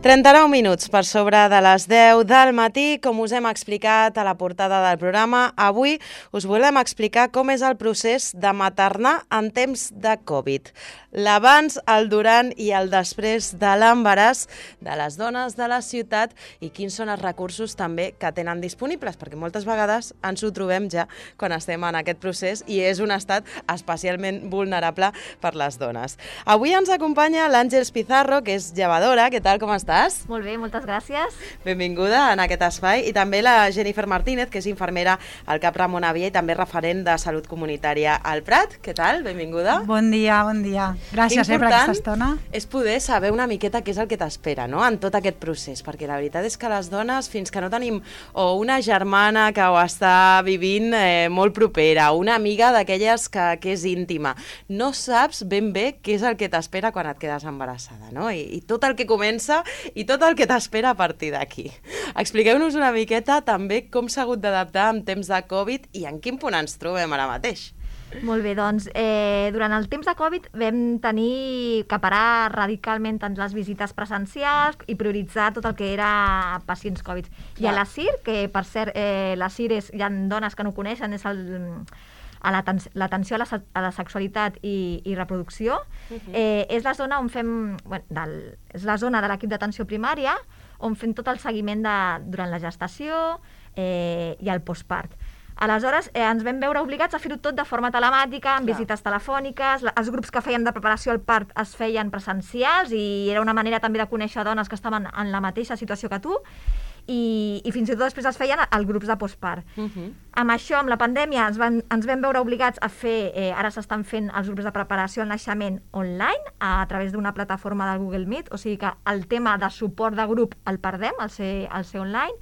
39 minuts per sobre de les 10 del matí. Com us hem explicat a la portada del programa, avui us volem explicar com és el procés de maternar en temps de Covid. L'abans, el durant i el després de l'embaràs de les dones de la ciutat i quins són els recursos també que tenen disponibles, perquè moltes vegades ens ho trobem ja quan estem en aquest procés i és un estat especialment vulnerable per les dones. Avui ens acompanya l'Àngels Pizarro, que és llevadora. Què tal, com estàs? Molt bé, moltes gràcies. Benvinguda en aquest espai. I també la Jennifer Martínez, que és infermera al CAP Ramon Avia i també referent de salut comunitària al Prat. Què tal? Benvinguda. Bon dia, bon dia. Gràcies per aquesta estona. És poder saber una miqueta què és el que t'espera, no?, en tot aquest procés, perquè la veritat és que les dones, fins que no tenim o una germana que ho està vivint molt propera, una amiga d'aquelles que és íntima, no saps ben bé què és el que t'espera quan et quedes embarassada, no? I tot el que comença i tot el que t'espera a partir d'aquí. Expliqueu-nos una miqueta també com s'ha hagut d'adaptar en temps de Covid i en quin punt ens trobem ara mateix. Molt bé, doncs, durant el temps de Covid vam tenir que parar radicalment tant les visites presencials i prioritzar tot el que era pacients Covid. I a la CIR, que per cert, la CIR hi ha dones que no coneixen, és l'atenció a la sexualitat i reproducció, és la zona on fem, és la zona de l'equip d'atenció primària on fem tot el seguiment durant la gestació i el postpart. Aleshores, ens vam veure obligats a fer-ho tot de forma telemàtica, amb visites telefòniques, els grups que fèiem de preparació al part es feien presencials i era una manera també de conèixer dones que estaven en la mateixa situació que tu i fins i tot després es feien els grups de postpart. Amb això, amb la pandèmia, ens vam veure obligats a fer, ara s'estan fent els grups de preparació al naixement online a través d'una plataforma del Google Meet, o sigui que el tema de suport de grup el perdem, al ser online,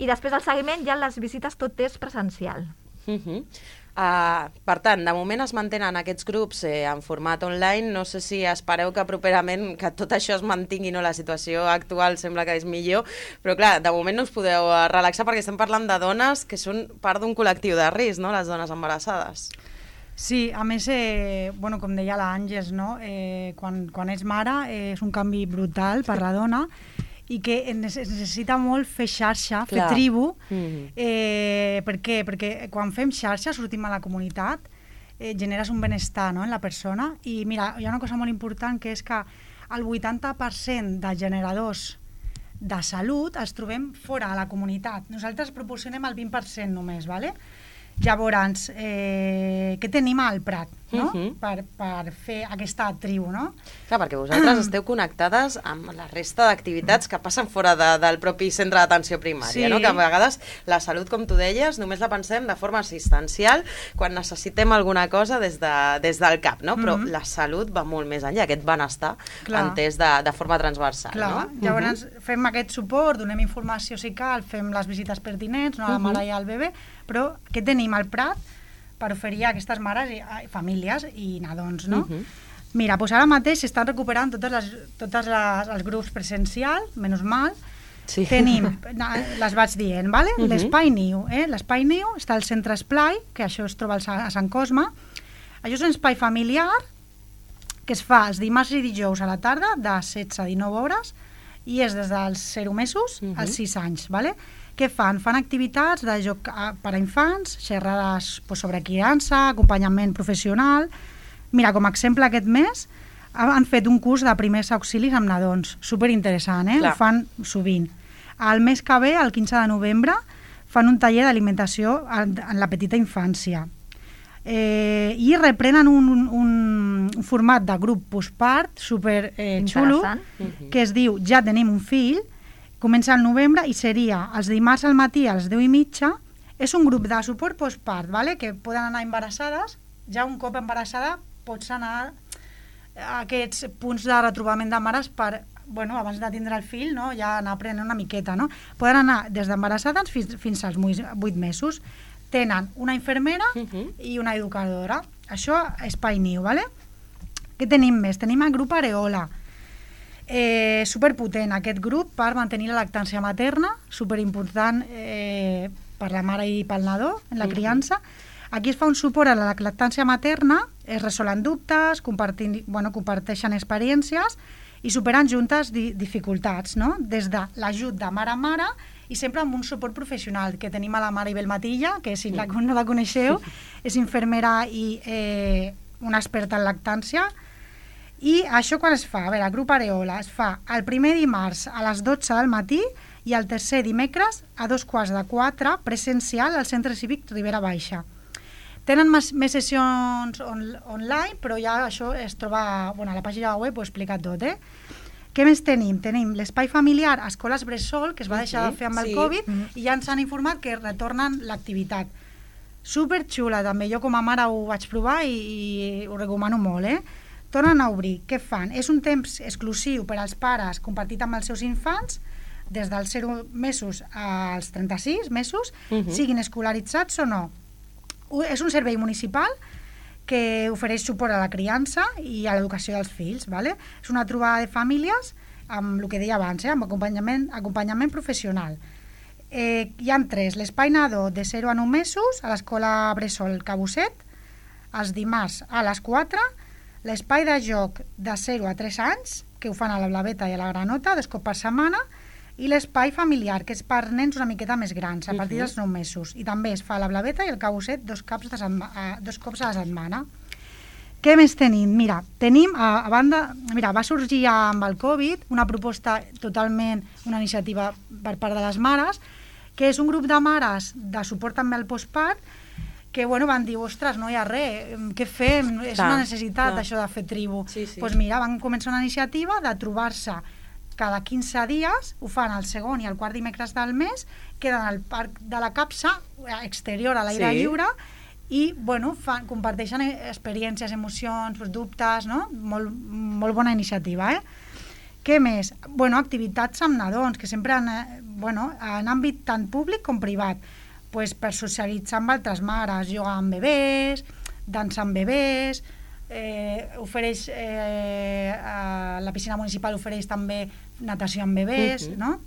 i després del seguiment ja les visites tot és presencial. Per tant, de moment es mantenen aquests grups en format online. No sé si espereu que properament que tot això es mantingui, no? La situació actual sembla que és millor, però clar, de moment no us podeu relaxar perquè estem parlant de dones que són part d'un col·lectiu de risc, no?, les dones embarassades. Sí, a més, com deia l'Àngels, no? Quan ets mare és un canvi brutal per la dona i que es necessita molt fer xarxa, fer tribu. Per què? Perquè quan fem xarxa, sortim a la comunitat, generes un benestar, no?, en la persona. I mira, hi ha una cosa molt important, que és que el 80% de generadors de salut els trobem fora a la comunitat. Nosaltres proporcionem el 20% només, ¿vale? Llavors, què tenim al Prat, no? Per fer aquesta tribu, no? Clar, perquè vosaltres esteu connectades amb la resta d'activitats que passen fora del propi centre d'atenció primària, no? Que a vegades la salut, com tu deies, només la pensem de forma assistencial quan necessitem alguna cosa des del CAP, no? Però la salut va molt més enllà, aquest benestar entès de forma transversal, no? Llavors fem aquest suport, donem informació si cal, fem les visites pertinents, a la mare i al bebè, però què tenim al Prat per oferir a aquestes mares, famílies i nadons, no? Mira, doncs ara mateix s'estan recuperant tots els grups presencials, menys mal. Tenim, les vaig dient, ¿vale? L'Espai Niu, l'Espai Niu està al centre Esplai, que això es troba a Sant Cosme. Això és un espai familiar que es fa els dimarts i dijous a la tarda, de 16 a 19 hores, i és des dels 0 mesos als 6 anys, ¿vale? Què fan? Fan activitats de joc per a infants, xerrades sobre criança, acompanyament professional. Mira, com a exemple, aquest mes han fet un curs de primers auxilis amb nadons. Superinteressant, Ho fan sovint. El mes que ve, el 15 de novembre, fan un taller d'alimentació en la petita infància. I reprenen un format de grup postpart super xulo, que es diu Ja tenim un fill. Comença al novembre i seria els dimarts al matí a les 10:30. És un grup de suport postpart, ¿vale? Que poden anar embarassades. Ja un cop embarassada pots anar a aquests punts de retrobament de mares per, abans de tindre el fill, no? Ja anar aprenent una miqueta, no? Poden anar des d'embarassades fins als 8 mesos. Tenen una infermera i una educadora. Això és Espai Niu, ¿vale? Què tenim més? Tenim el grup Areola. Superpotent aquest grup per mantenir la lactància materna, superimportant per la mare i pel nadó en la criança. Aquí es fa un suport a la lactància materna, es resolen dubtes, comparteixen experiències i superant juntes dificultats, no? Des de l'ajut de mare a mare i sempre amb un suport professional, que tenim a la Maribel Matilla, que si no la coneixeu, és infermera i una experta en lactància. I això quan es fa? A veure, el grup Areola es fa el primer dimarts a les 12 del matí i el tercer dimecres a 3:45 presencial al Centre Cívic Ribera Baixa. Tenen més sessions online, però ja això es troba, a la pàgina web ho he explicat tot, Què més tenim? Tenim l'espai familiar a escoles bressol, que es va deixar de fer amb el Covid, i ja ens han informat que retornen l'activitat. Superxula, també. Jo com a mare ho vaig provar i ho recomano molt, Tornen a obrir. Què fan? És un temps exclusiu per als pares compartit amb els seus infants, des dels 0 mesos als 36 mesos, siguin escolaritzats o no. És un servei municipal que ofereix suport a la criança i a l'educació dels fills. És una trobada de famílies amb el que deia abans, amb acompanyament professional. Hi ha 3. L'espai nadó de 0 a 9 mesos a l'escola bressol Cabusset, els dimarts a les 4, l'espai de joc de 0 a 3 anys, que ho fan a la Blaveta i a la Granota, 2 cops per setmana, i l'espai familiar, que és per nens una miqueta més grans, a partir dels 9 mesos. I també es fa a la Blaveta i el Cabusset 2 cops a la setmana. Què més tenim? Mira, va sorgir amb el Covid una proposta totalment, una iniciativa per part de les mares, que és un grup de mares de suport també al postpart, que van dir, ostres, no hi ha res, què fem? És una necessitat això de fer tribu. Doncs mira, van començar una iniciativa de trobar-se cada 15 dies, ho fan el segon i el quart dimecres del mes, queden al Parc de la Capsa, exterior a l'aire lliure, i comparteixen experiències, emocions, dubtes, no? Molt bona iniciativa, Què més? Activitats amb nadons, que sempre en àmbit tant públic com privat, per socialitzar amb altres mares, jugar amb bebès, dansar amb bebès, la piscina municipal ofereix també natació amb bebès, no?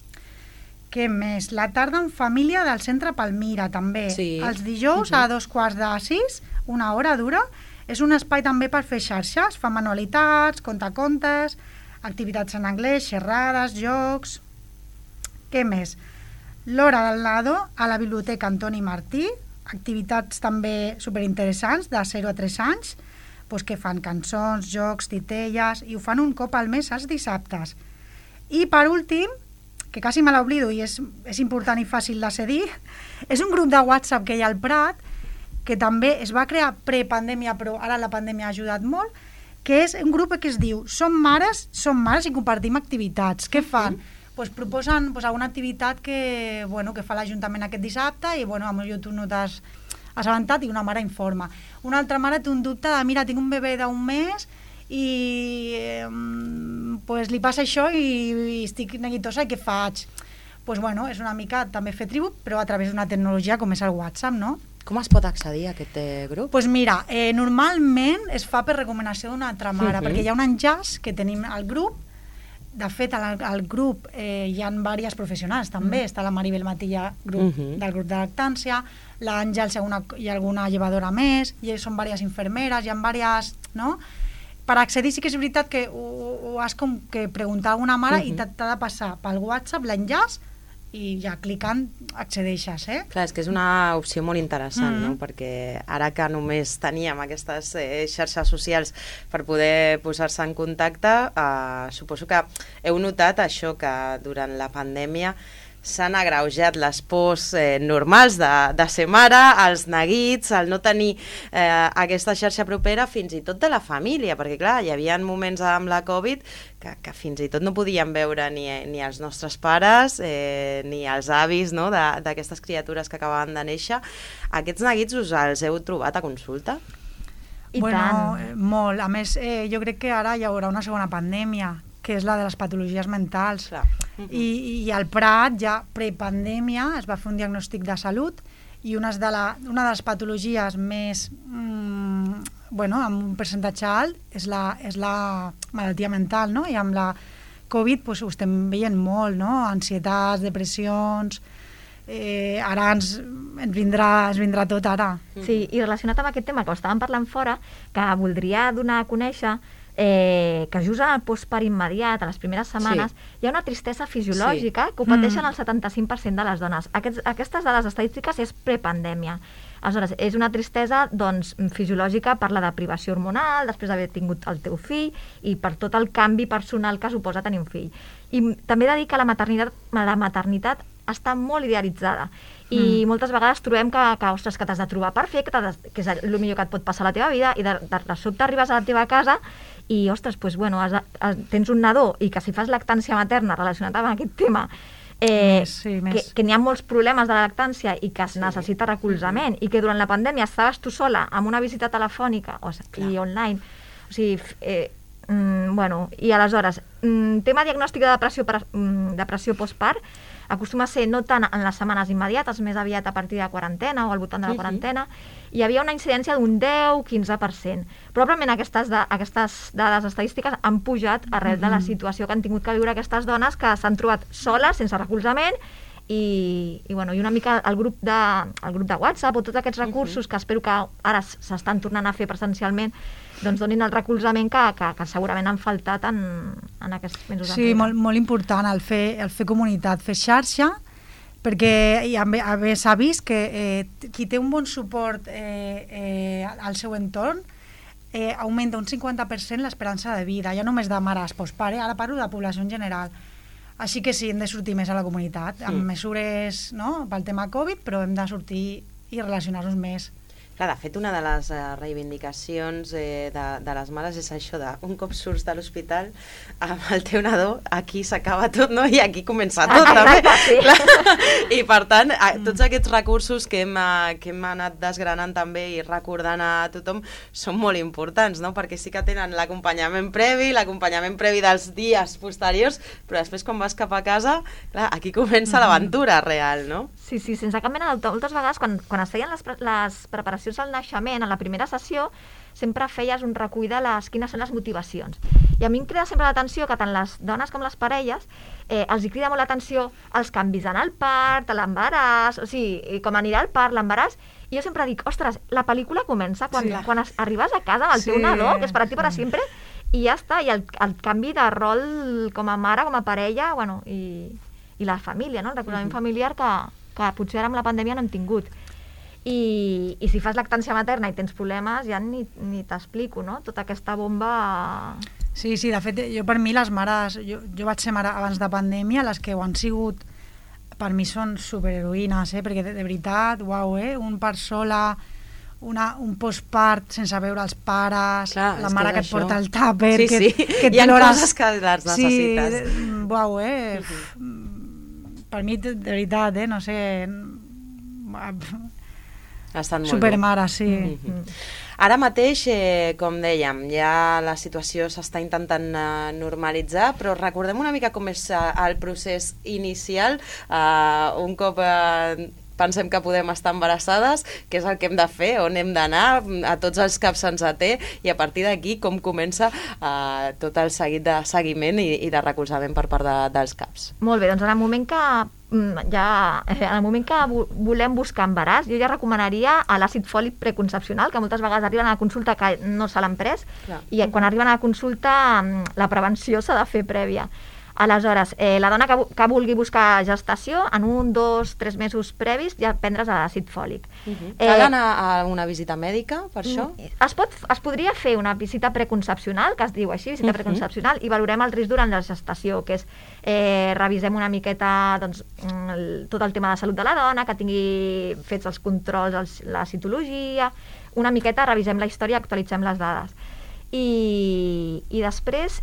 Què més? La tarda en família del centre Palmira, també. Els dijous a 5:45, una hora dura. És un espai també per fer xarxes, fa manualitats, contacontes, activitats en anglès, xerrades, jocs. Què més? L'hora del nadó a la Biblioteca Antoni Martí, activitats també superinteressants de 0 a 3 anys, que fan cançons, jocs, titelles, i ho fan un cop al mes els dissabtes. I per últim, que quasi me l'oblido i és important i fàcil de cedir, és un grup de WhatsApp que hi ha al Prat, que també es va crear prepandèmia, però ara la pandèmia ha ajudat molt, que és un grup que es diu Som mares i compartim activitats. Què fan? Proposen alguna activitat que fa l'Ajuntament aquest dissabte i potser tu no t'has assabentat i una mare informa. Una altra mare té un dubte de, mira, tinc un bebè d'1 mes i li passa això i estic neguitosa i què faig? És una mica també fer tribu, però a través d'una tecnologia com és el WhatsApp, no? Com es pot accedir a aquest grup? Doncs mira, normalment es fa per recomanació d'una altra mare, perquè hi ha un enllaç que tenim al grup. De fet, al grup hi ha diversos professionals també, està la Maribel Matilla del grup de lactància, l'Àngels i alguna llevadora més, i són diverses infermeres, hi ha diverses, no? Per accedir sí que és veritat que ho has com que preguntar a alguna mare i t'ha de passar pel WhatsApp l'enllaç i ja clicant accedeixes, Clar, és que és una opció molt interessant, no? Perquè ara que només teníem aquestes xarxes socials per poder posar-se en contacte, suposo que heu notat això, que durant la pandèmia s'han agreujat les pors normals de ser mare, els neguits, el no tenir aquesta xarxa propera fins i tot de la família, perquè clar, hi havia moments amb la Covid que fins i tot no podíem veure ni els nostres pares ni els avis, no?, d'aquestes criatures que acabaven de néixer. Aquests neguits us els heu trobat a consulta? Molt. A més, jo crec que ara hi haurà una segona pandèmia, que és la de les patologies mentals. I al Prat, ja prepandèmia, es va fer un diagnòstic de salut i una de les patologies més, amb un percentatge alt, és la malaltia mental, no? I amb la Covid ho estem veient molt, no? Ansietats, depressions, ara ens vindrà tot ara. Sí, i relacionat amb aquest tema que ho estàvem parlant fora, que voldria donar a conèixer que just en el postpart immediat, a les primeres setmanes, hi ha una tristesa fisiològica que ho pateixen el 75% de les dones. Aquestes dades estadístiques és prepandèmia. Aleshores, és una tristesa fisiològica per la deprivació hormonal, després d'haver tingut el teu fill i per tot el canvi personal que suposa tenir un fill. I també he de dir que la maternitat està molt idealitzada i moltes vegades trobem que t'has de trobar perfecte, que és el millor que et pot passar a la teva vida, i de sobte arribes a la teva casa i, ostres, tens un nadó i que si fas lactància materna relacionat amb aquest tema, que n'hi ha molts problemes de la lactància i que es necessita recolzament i que durant la pandèmia estaves tu sola amb una visita telefònica i online, o sigui, i aleshores, tema diagnòstic de depressió postpart acostuma a ser no tant en les setmanes immediates, més aviat a partir de la quarantena o al voltant de la quarantena, hi havia una incidència d'un 10-15%. Probablement aquestes dades estadístiques han pujat arrel de la situació que han tingut que viure aquestes dones que s'han trobat soles, sense recolzament, i una mica el grup de WhatsApp o tots aquests recursos que espero que ara s'estan tornant a fer presencialment, doncs donin el recolzament que segurament han faltat en aquests mesos. Sí, molt important el fer comunitat, fer xarxa, perquè s'ha vist que qui té un bon suport al seu entorn augmenta un 50% l'esperança de vida, ja només de mares postpare, ara parlo de la població en general. Així que sí, hem de sortir més a la comunitat, amb mesures pel tema Covid, però hem de sortir i relacionar-nos més. Clar, de fet, una de les reivindicacions de les mares és això de un cop surts de l'hospital amb el teu nadó, aquí s'acaba tot, no? I aquí comença tot, també. Sí. I, per tant, tots aquests recursos que hem anat desgranant també i recordant a tothom són molt importants, no? Perquè sí que tenen l'acompanyament previ dels dies posteriors, però després quan vas cap a casa, clar, aquí comença l'aventura real, no? Sí, sense cap mena de dubte. Moltes vegades, quan es feien les preparacions al naixement, en la primera sessió, sempre feies un recull de quines són les motivacions. I a mi em crida sempre l'atenció que tant les dones com les parelles els hi crida molt l'atenció els canvis en el part, l'embaràs, o sigui, com anirà el part, l'embaràs, i jo sempre dic, ostres, la pel·lícula comença quan arribes a casa amb el teu nadó, que és per a ti per a sempre, i ja està, i el canvi de rol com a mare, com a parella, i la família, no? El recolzament familiar que potser ara amb la pandèmia no hem tingut. I si fas lactància materna i tens problemes, ja ni t'explico, no? Tota aquesta bomba... Sí, de fet, per mi les mares... Jo vaig ser mare abans de pandèmia, les que ho han sigut, per mi són superheroïnes, perquè de veritat, un part sola, un postpart sense veure els pares, clar, la mare que et porta el tàper, que et hi ha coses que les necessites. Per mi, de veritat, no sé... Estan molt supermare, sí. Ara mateix, com dèiem, ja la situació s'està intentant normalitzar, però recordem una mica com és el procés inicial, un cop pensem que podem estar embarassades, què és el que hem de fer, on hem d'anar, a tots els CAPs se'ns té, i a partir d'aquí com comença tot el seguit de seguiment i de recolzament per part dels CAPs. Molt bé, doncs en el moment que volem buscar embaràs, jo ja recomanaria l'àcid fòlic preconcepcional, que moltes vegades arriben a la consulta que no se l'han pres, i quan arriben a la consulta la prevenció s'ha de fer prèvia. Aleshores, la dona que vulgui buscar gestació, en 1, 2, 3 mesos previs ja prendre's l'àcid fòlic. Cal anar a una visita mèdica per això? Es podria fer una visita preconcepcional, que es diu així, visita preconcepcional, i valorem el risc durant la gestació, que és revisem una miqueta tot el tema de salut de la dona, que tingui fets els controls, la citologia, una miqueta revisem la història, actualitzem les dades. I després,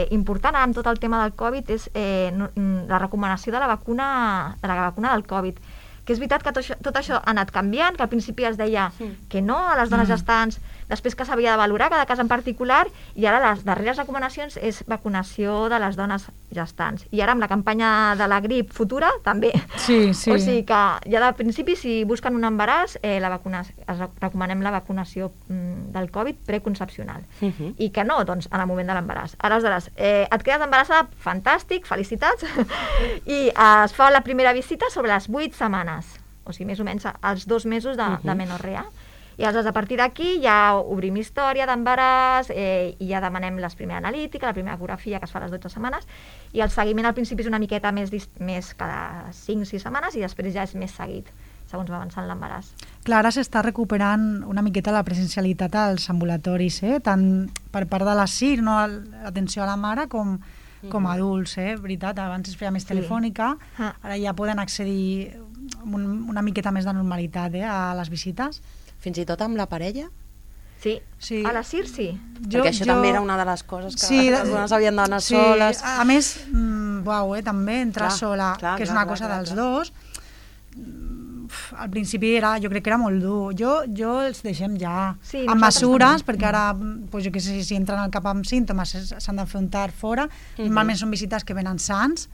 important amb tot el tema del Covid, és la recomanació de la vacuna del Covid, que és veritat que tot això ha anat canviant, que al principi es deia que no a les dones gestants, després que s'havia de valorar cada cas en particular, i ara les darreres recomanacions és vacunació de les dones gestants. I ara amb la campanya de la grip futura també. Sí. O sigui que ja de principi, si busquen un embaràs, recomanem la vacunació del Covid preconcepcional. I que no, doncs, en el moment de l'embaràs. Aleshores, et quedes embarassada, fantàstic, felicitats, i es fa la primera visita sobre les 8 setmanes, o sigui, més o menys els 2 mesos de menorrea. I aleshores, a partir d'aquí, ja obrim història d'embaràs i ja demanem la primera analítica, la primera ecografia que es fa a les 12 setmanes, i el seguiment al principi és una miqueta més cada 5-6 setmanes i després ja és més seguit, segons va avançant l'embaràs. Clar, ara s'està recuperant una miqueta la presencialitat als ambulatoris, tant per part de la CIR, no, l'atenció a la mare, com a adults, veritat, abans es feia més telefònica, ara ja poden accedir una miqueta més de normalitat a les visites. Fins i tot amb la parella? Sí, a la CIR sí. Perquè això també era una de les coses que les dones havien d'anar soles. A més, també entrar sola, que és una cosa dels dos. Al principi jo crec que era molt dur. Jo els deixem ja amb mesures, perquè ara, jo què sé, si entren al cap amb símptomes s'han d'afrontar fora. Normalment són visites que venen sans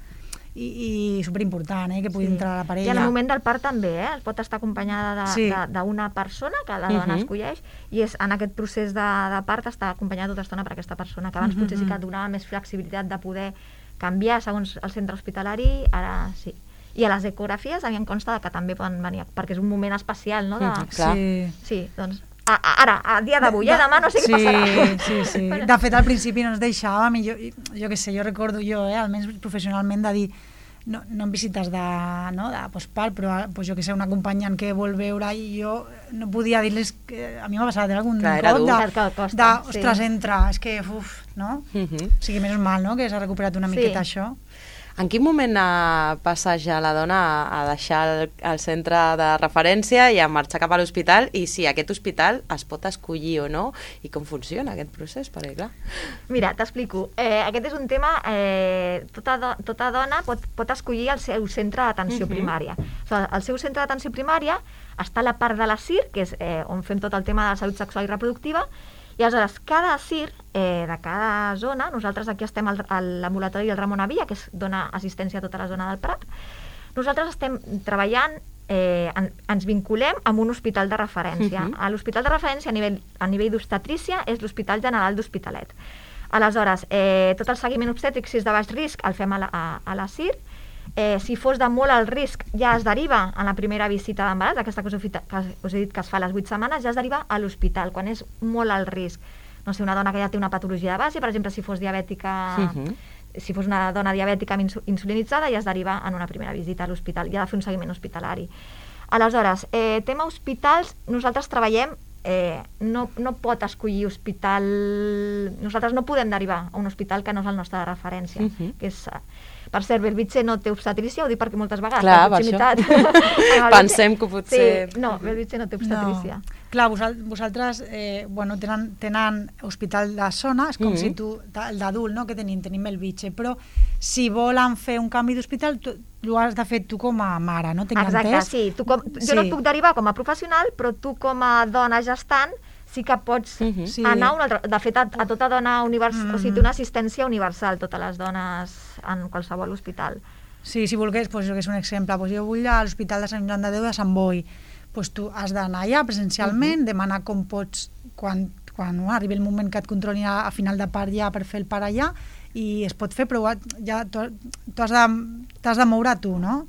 i superimportant, que pugui entrar la parella. I en el moment del part també, es pot estar acompanyada d'una persona que la dona escolleix, i en aquest procés de part està acompanyada tota l'estona per aquesta persona, que abans potser sí que donava més flexibilitat de poder canviar segons el centre hospitalari, ara sí. I a les ecografies a mi em consta que també poden venir, perquè és un moment especial, no? Sí, doncs ara, a dia d'avui, demà no sé què passarà. Sí. De fet, al principi no ens deixàvem, i jo què sé, jo recordo almenys professionalment, de dir, no en visites de postpart, però jo què sé, un acompanyant que vol veure, i jo no podia dir-les que a mi m'ha passat algun cop ostres, entra, és que, no? O sigui, menys mal, no?, que s'ha recuperat una miqueta això. En quin moment passa ja la dona a deixar el centre de referència i a marxar cap a l'hospital, i si aquest hospital es pot escollir o no, i com funciona aquest procés? Perquè, clar... Mira, t'explico. Aquest és un tema... Tota dona pot escollir el seu centre d'atenció primària. El seu centre d'atenció primària està a la part de la CIR, que és on fem tot el tema de la salut sexual i reproductiva, i aleshores cada CIR de cada zona, nosaltres aquí estem a l'ambulatori del Ramon Avilla, que dona assistència a tota la zona del Prat, nosaltres estem treballant, ens vinculem amb un hospital de referència. L'hospital de referència a nivell d'obstetrícia és l'Hospital General d'Hospitalet. Aleshores, tot el seguiment obstètric, si és de baix risc, el fem a la CIR. Si fos de molt alt risc, ja es deriva en la primera visita d'embaràs, aquesta que us he dit que es fa a les 8 setmanes, ja es deriva a l'hospital, quan és molt alt risc. No sé, una dona que ja té una patologia de base, per exemple, si fos diabètica, si fos una dona diabètica insulinitzada, ja es deriva en una primera visita a l'hospital, ja ha de fer un seguiment hospitalari. Aleshores, tema hospitals, nosaltres treballem, no pot escollir hospital, nosaltres no podem derivar a un hospital que no és el nostre de referència, que és... Per cert, Bellvitge no té obstetrícia, ho dic perquè moltes vegades... Clar, per això. Pensem que potser... No, Bellvitge no té obstetrícia. Clar, vosaltres tenen hospital de zona, és com si tu, el d'adult, que tenim Bellvitge, però si volen fer un canvi d'hospital, ho has de fer tu com a mare, no? Exacte, sí. Jo no et puc derivar com a professional, però tu com a dona gestant sí que pots anar a un altre... De fet, a tota dona universal, o sigui, té una assistència universal, totes les dones en qualsevol hospital. Sí, si volgués, jo que és un exemple, jo vull a l'Hospital de Sant Joan de Déu de Sant Boi, tu has d'anar allà presencialment, demanar com pots, quan arribi el moment que et controlin a final de part ja per fer el part allà, i es pot fer, però ja t'has de moure tu, no?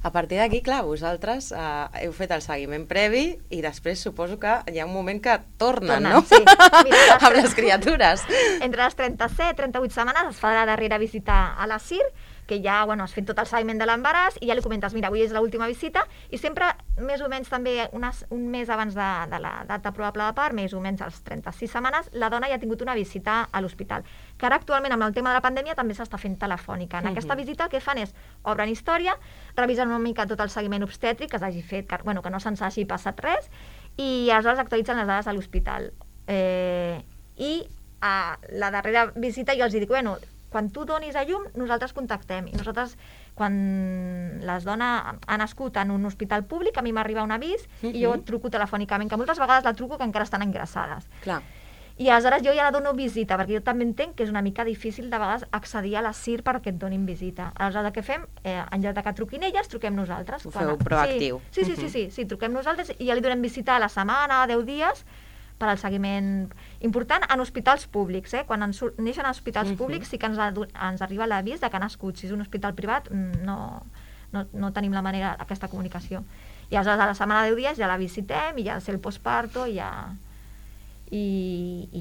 A partir d'aquí, clar, vosaltres heu fet el seguiment previ i després suposo que hi ha un moment que tornen, no? Sí. Mira, amb les criatures. Entre les 37 i 38 setmanes es fa la darrera visita a la CIR, que ja has fet tot el seguiment de l'embaràs i ja li comentes, mira, avui és l'última visita, i sempre més o menys també un mes abans de la data probable de part, més o menys als 36 setmanes, la dona ja ha tingut una visita a l'hospital, que ara actualment amb el tema de la pandèmia també s'està fent telefònica. En aquesta visita el que fan és obren història, revisen una mica tot el seguiment obstètric que s'hagi fet, que no se'ns hagi passat res, i aleshores actualitzen les dades a l'hospital. I a la darrera visita jo els dic, quan tu donis a llum, nosaltres contactem. I nosaltres, quan les dones han nascut en un hospital públic, a mi m'arriba un avís i jo truco telefònicament, que moltes vegades la truco que encara estan ingressades. Clar. I aleshores jo ja la dono visita, perquè jo també entenc que és una mica difícil de vegades accedir a la CIR perquè et donin visita. Aleshores el que fem, en lloc que truquin elles, truquem nosaltres. Ho feu proactiu. Sí, truquem nosaltres i ja li donem visita a la setmana, 10 dies, per al seguiment important en hospitals públics. Quan neixen en hospitals públics sí que ens arriba l'avís que ha nascut. Si és un hospital privat no tenim la manera, aquesta comunicació. I aleshores a la setmana de 10 dies ja la visitem i ja és el postparto i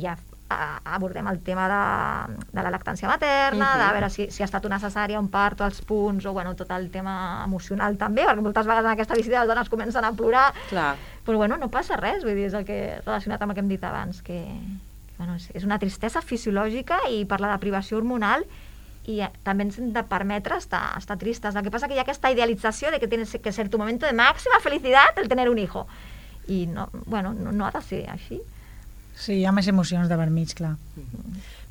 ja abordem el tema de la lactància materna, de veure si ha estat una cesària, un parto, els punts, o bueno, tot el tema emocional també, perquè moltes vegades en aquesta visita les dones comencen a plorar, però bueno, no passa res, vull dir, és el que relacionat amb el que hem dit abans, que bueno, és una tristesa fisiològica i per la deprivació hormonal i també ens hem de permetre estar tristes. El que passa que hi ha aquesta idealització de que tienes que ser tu momento de máxima felicidad el tener un hijo. I no, bueno, no ha de ser així. Sí, hi ha més emocions de vermig, clar.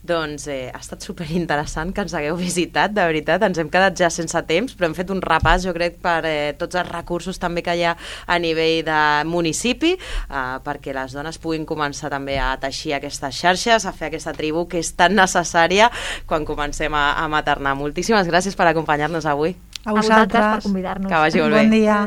Doncs ha estat superinteressant que ens hagueu visitat, de veritat, ens hem quedat ja sense temps, però hem fet un repàs, jo crec, per tots els recursos també que hi ha a nivell de municipi, perquè les dones puguin començar també a teixir aquestes xarxes, a fer aquesta tribu que és tan necessària quan comencem a maternar. Moltíssimes gràcies per acompanyar-nos avui. A vosaltres per convidar-nos. Que vagi molt bé. Bon dia.